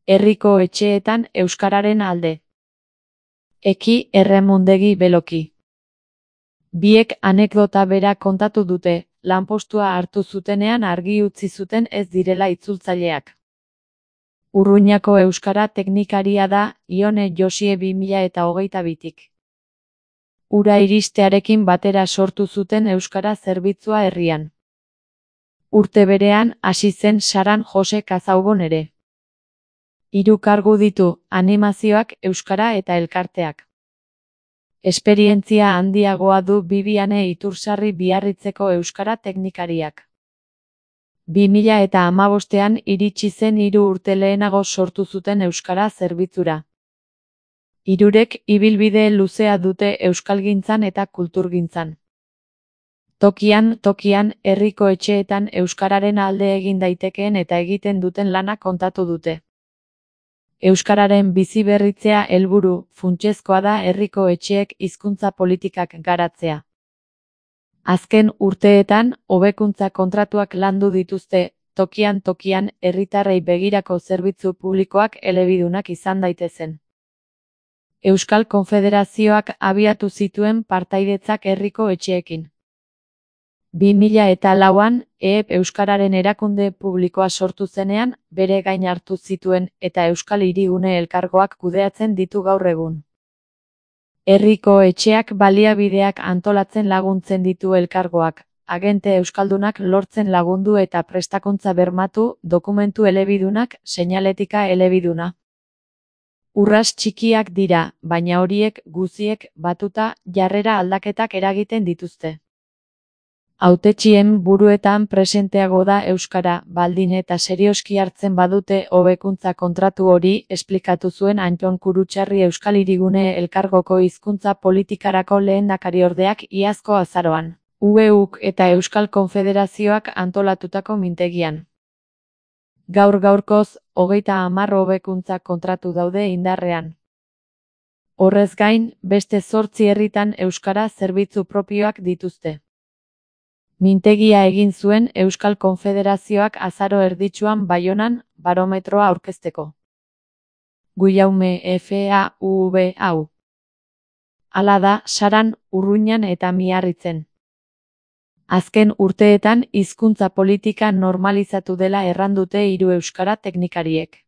Herriko etxeetan euskararen alde. Eki Erremundegi Beloki. Biek anekdota bera kontatu dute, lanpostua hartu zutenean argi utzi zuten ez direla itzultzaileak. Urruñako euskara teknikaria da Ione Josie 2022tik. Ura iristearekin batera sortu zuten euskara zerbitzua herrian. Urte berean hasi zen Saran Jose Kazaubon ere. 3 kargu ditu, animazioak, euskara eta elkarteak. Esperientzia handiagoa du Bibiane Itursarri Biarritzeko euskara teknikariak. 2015ean iritsi zen 3 urte lehenago sortu zuten euskara zerbitzura. Hirurek ibilbide luzea dute euskalgintzan eta kulturgintzan. Tokian, herriko etxeetan euskararen alde egin daitekeen eta egiten duten lana kontatu dute. Euskararen biziberritzea helburu, funtsezkoa da herriko etxeek hizkuntza politikak garatzea. Azken urteetan, hobekuntza kontratuak landu dituzte, tokian herritarrei begirako zerbitzu publikoak elebidunak izan daitezen. Euskal Konfederazioak abiatu zituen partaidetzak herriko etxeekin. 2004an, EEP Euskararen erakunde publikoa sortu zenean, bere gain hartu zituen eta Euskal Hirigune elkargoak kudeatzen ditu gaur egun. Herriko etxeak baliabideak antolatzen laguntzen ditu elkargoak, agente euskaldunak lortzen lagundu eta prestakuntza bermatu, dokumentu elebidunak, seinaletika elebiduna. Urrats txikiak dira, baina horiek guziek batuta jarrera aldaketak eragiten dituzte. Hautetsien buruetan presenteago da euskara, baldin eta serioski hartzen badute hobekuntza kontratu hori, esplikatu zuen Antton Kurutxarri Euskal Hirigune elkargoko hizkuntza politikarako lehendakariordeak iazko azaroan, UEUk eta Euskal Konfederazioak antolatutako mintegian. Gaur-gaurkoz, 30 hobekuntza kontratu daude indarrean. Horrez gain, beste 8 herritan euskara zerbitzu propioak dituzte. Mintegia egin zuen Euskal Konfederazioak azaro erditsuan Baionan, barometroa aurkezteko. Guillaume FAUV hau. Hala da, Saran, Urruñan eta Miarritzen. Azken urteetan hizkuntza politika normalizatu dela errandute 3 euskara teknikariek.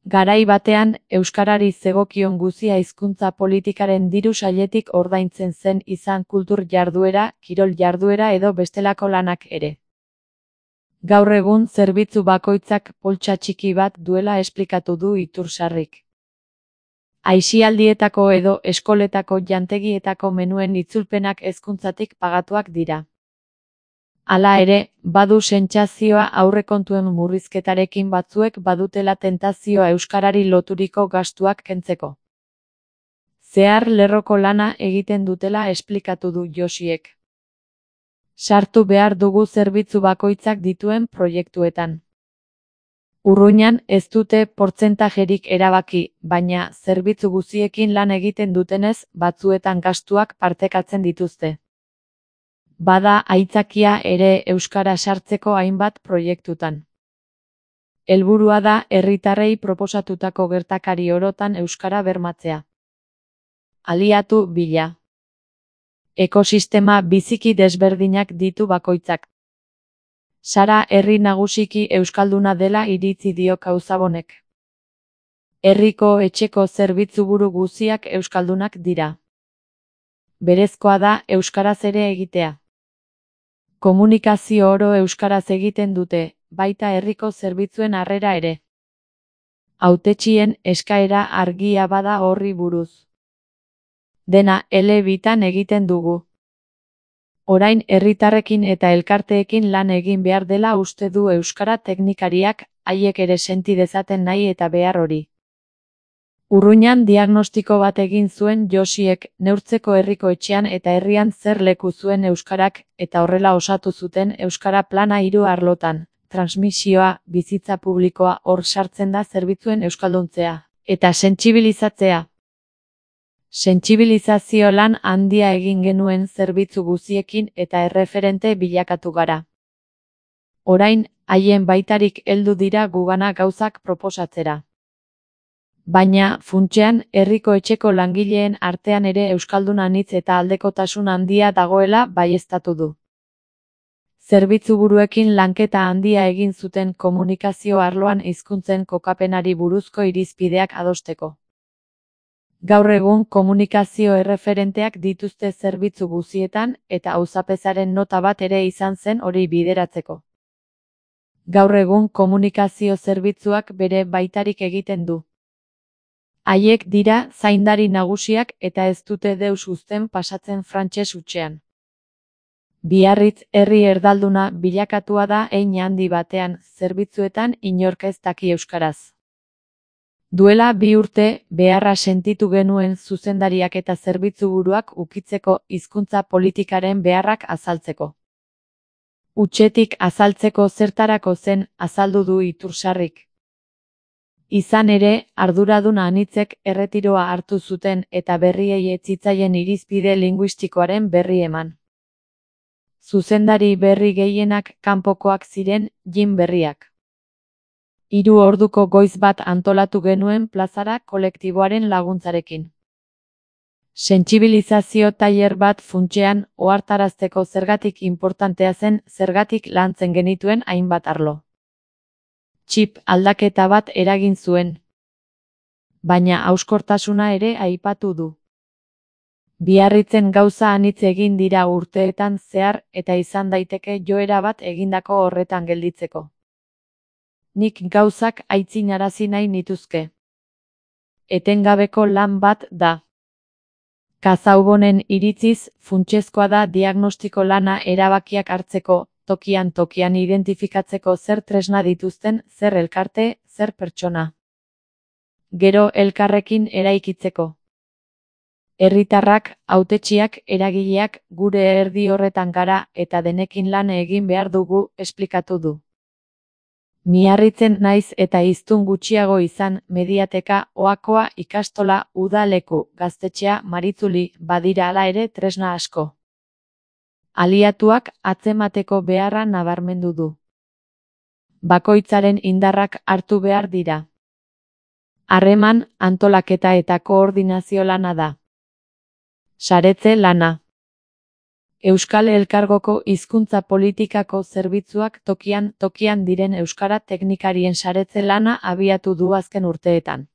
Garai batean, euskarari zegokion guzia hizkuntza politikaren diru sailetik ordaintzen zen izan kultur jarduera, kirol jarduera edo bestelako lanak ere. Gaur egun zerbitzu bakoitzak poltsa txiki bat duela esplikatu du Itursarrik. Aisialdietako edo eskoletako jantegietako menuen itzulpenak hezkuntzatik pagatuak dira. Hala ere, badu sentsazioa aurrekontuen murrizketarekin batzuek badutela tentazioa euskarari loturiko gastuak kentzeko. Zehar lerroko lana egiten dutela esplikatu du Josiek. Sartu behar dugu zerbitzu bakoitzak dituen proiektuetan. Urruñan ez dute portzentajerik erabaki, baina zerbitzu guziekin lan egiten dutenez, batzuetan gastuak partekatzen dituzte. Bada aitzakia ere euskara sartzeko hainbat proiektutan. Helburua da herritarrei proposatutako gertakari orotan euskara bermatzea. Aliatu bila. Ekosistema biziki desberdinak ditu bakoitzak. Sara herri nagusiki euskalduna dela iritzi dio Kauzabonek. Herriko etxeko zerbitzuburu guziak euskaldunak dira. Berezkoa da euskaraz ere egitea. Komunikazio oro euskaraz egiten dute, baita herriko zerbitzuen harrera ere. Hautetsien eskaera argia bada horri buruz. Dena elebitan egiten dugu. Orain herritarrekin eta elkarteekin lan egin behar dela uste du euskara teknikariak, haiek ere senti dezaten nahi eta behar hori. Urruñan diagnostiko bat egin zuen Josiek, neurtzeko herriko etxean eta herrian zer leku zuen euskarak, eta horrela osatu zuten euskara plana 3 arlotan, transmisioa, bizitza publikoa, hor sartzen da zerbitzuen euskalduntzea, eta sentsibilizatzea. Sentsibilizazio lan handia egin genuen zerbitzu guziekin eta erreferente bilakatu gara. Orain, haien baitarik heldu dira gugana gauzak proposatzera. Baina, funtsean, herriko etxeko langileen artean ere euskaldun anitz eta aldekotasun handia dagoela baieztatu du. Zerbitzuburuekin lanketa handia egin zuten komunikazio arloan hizkuntzen kokapenari buruzko irizpideak adosteko. Gaur egun komunikazio erreferenteak dituzte zerbitzu guztietan eta auzapezaren nota bat ere izan zen hori bideratzeko. Gaur egun komunikazio zerbitzuak bere baitarik egiten du. Haiek dira zaindari nagusiak eta ez dute deus uzten pasatzen frantses hutsean. Biarritz herri erdalduna bilakatua da hein handi batean, zerbitzuetan inork ez daki euskaraz. Duela 2 urte, beharra sentitu genuen zuzendariak eta zerbitzuburuak ukitzeko hizkuntza politikaren beharrak azaltzeko. Hutsetik azaltzeko zertarako zen azaldu du Itursarrik. Izan ere, arduradun anitzek erretiroa hartu zuten eta berriei ez zitzaien irizpide linguistikoaren berri eman. Zuzendari berri gehienak kanpokoak ziren, jin berriak. 3 orduko goiz bat antolatu genuen plazara kolektiboaren laguntzarekin. Sentsibilizazio tailer bat funtsean ohartarazteko zergatik inportantea zen zergatik lantzen genituen hainbat arlo. Txip aldaketa bat eragin zuen. Baina hauskortasuna ere aipatu du. Biarritzen gauza anitz egin dira urteetan zehar eta izan daiteke joera bat egindako horretan gelditzeko. Nik gauzak aitzinarazi nahi nituzke. Etengabeko lan bat da. Kazaubonen iritziz, funtsezkoa da diagnostiko lana erabakiak hartzeko, tokian identifikatzeko zer tresna dituzten, zer elkarte, zer pertsona. Gero elkarrekin eraikitzeko. Herritarrak, hautetsiak, eragileak, gure erdi horretan gara eta denekin lan egin behar dugu, esplikatu du. Miarritzen naiz eta hiztun gutxiago izan, mediateka, oakoa, ikastola, udaleku, gaztetxea, maritzuli, badira hala ere tresna asko. Aliatuak atzemateko beharra nabarmendu du. Bakoitzaren indarrak hartu behar dira. Harreman, antolaketa eta koordinazio lana da. Saretze lana. Euskal Elkargoko hizkuntza politikako zerbitzuak tokian diren euskara teknikarien saretze lana abiatu du azken urteetan.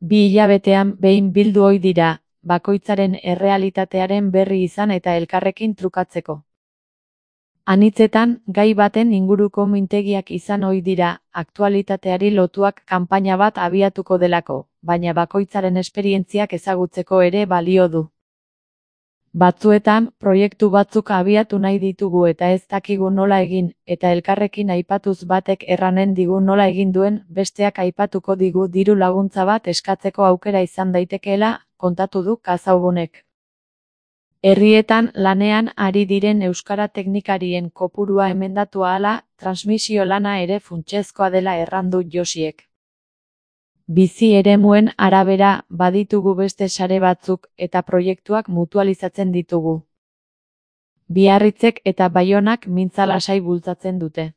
2 hilabetean behin bildu ohi dira, bakoitzaren errealitatearen berri izan eta elkarrekin trukatzeko. Anitzetan, gai baten inguruko mintegiak izan ohi dira, aktualitateari lotuak kanpaina bat abiatuko delako, baina bakoitzaren esperientziak ezagutzeko ere balio du. Batzuetan, proiektu batzuk abiatu nahi ditugu eta ez dakigu nola egin, eta elkarrekin aipatuz batek erranen digu nola egin duen, besteak aipatuko digu diru laguntza bat eskatzeko aukera izan daitekeela, kontatu du Kazaubonek. Herrietan lanean ari diren euskara teknikarien kopurua emendatu ahala, transmisio lana ere funtsezkoa dela errandu Josiek. Bizi eremuen arabera baditugu beste sare batzuk eta proiektuak mutualizatzen ditugu. Biarritzek eta Baionak mintza lasai bultzatzen dute.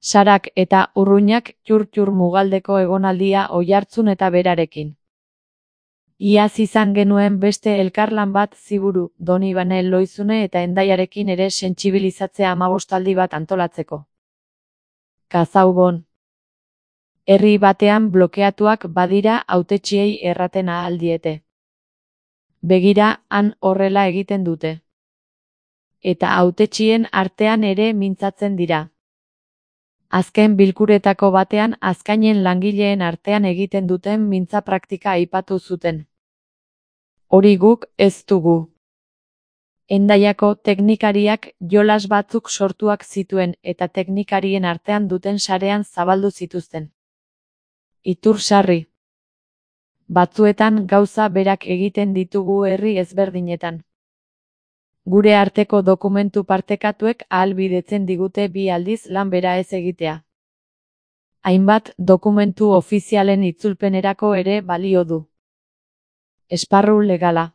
Sarak eta Urruñak txur mugaldeko egonaldia Oiartzun eta Berarekin. Iaz izan genuen beste elkarlan bat Ziburu, Donibane Loizune eta Hendaiarekin ere sentsibilizatzea 15 bat antolatzeko. Kazaubon. Herri batean blokeatuak badira hautetsiei erraten ahal diete. Begira, han horrela egiten dute. Eta hautetsien artean ere mintzatzen dira. Azken bilkuretako batean azkainen langileen artean egiten duten mintza praktika aipatu zuten. Hori guk ez dugu. Hendaiako teknikariak jolas batzuk sortuak zituen eta teknikarien artean duten sarean zabaldu zituzten. Itursarri. Batzuetan gauza berak egiten ditugu herri ezberdinetan. Gure arteko dokumentu partekatuek ahalbidetzen digute 2 aldiz lan bera ez egitea. Hainbat dokumentu ofizialen itzulpenerako ere balio du. Esparru legala.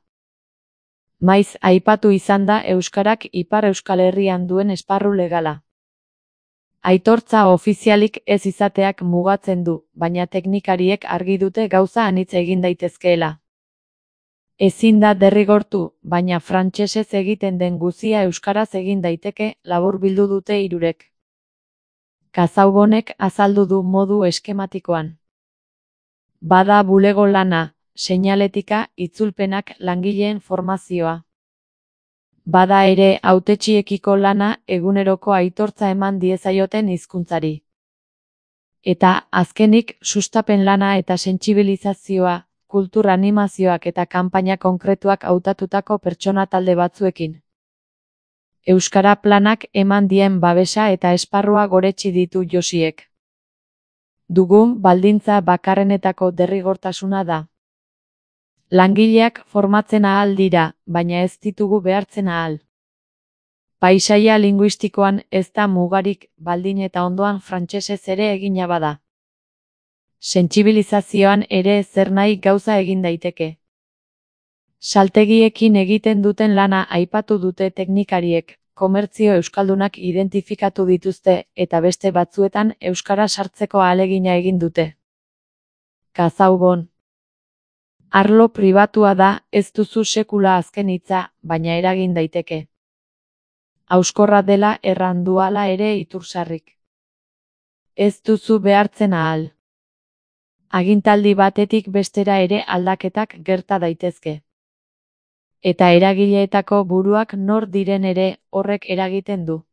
Maiz aipatu izan da euskarak Ipar Euskal Herrian duen esparru legala. Aitortza ofizialik ez izateak mugatzen du, baina teknikariek argi dute gauza anitz egin daitezkeela. Ezin da derrigortu, baina frantsesez egiten den guzia euskaraz egin daiteke, laburbildu dute hirurek. Kazaubonek azaldu du modu eskematikoan. Bada bulego lana, seinaletika, itzulpenak, langileen formazioa. Bada ere hautetsiekiko lana, eguneroko aitortza eman diezaioten hizkuntzari. Eta, azkenik, sustapen lana eta sentsibilizazioa, kultur animazioak eta kanpaina konkretuak hautatutako pertsona talde batzuekin. Euskara planak eman dien babesa eta esparrua goretsi ditu Josiek. Dugun baldintza bakarrenetako derrigortasuna da. Langileak formatzen ahal dira, baina ez ditugu behartzen ahal. Paisaia linguistikoan ez da mugarik, baldin eta ondoan frantsesez ere egina bada. Sentsibilizazioan ere zer nahi gauza egin daiteke. Saltegiekin egiten duten lana aipatu dute teknikariek, komertzio euskaldunak identifikatu dituzte eta beste batzuetan euskara sartzeko ahalegina egin dute. Kazaubon. Arlo pribatua da, ez duzu sekula azken hitza, baina eragin daiteke. Hauskorra dela erranduala ere Itursarrik. Ez duzu behartzen ahal. Agintaldi batetik bestera ere aldaketak gerta daitezke. Eta eragileetako buruak nor diren ere horrek eragiten du.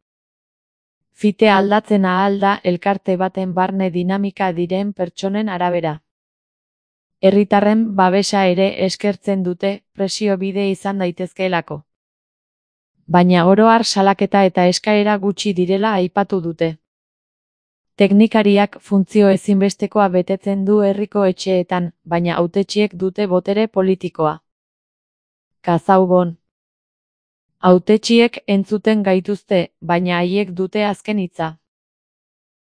Fite aldatzen ahal da elkarte baten barne dinamika diren pertsonen arabera. Herritarren babesa ere eskertzen dute, presio bide izan daitezkeelako. Baina oro har salaketa eta eskaera gutxi direla aipatu dute. Teknikariak funtzio ezinbestekoa betetzen du herriko etxeetan, baina hautetsiek dute botere politikoa. Kazaubon. Hautetsiek entzuten gaituzte, baina haiek dute azken hitza.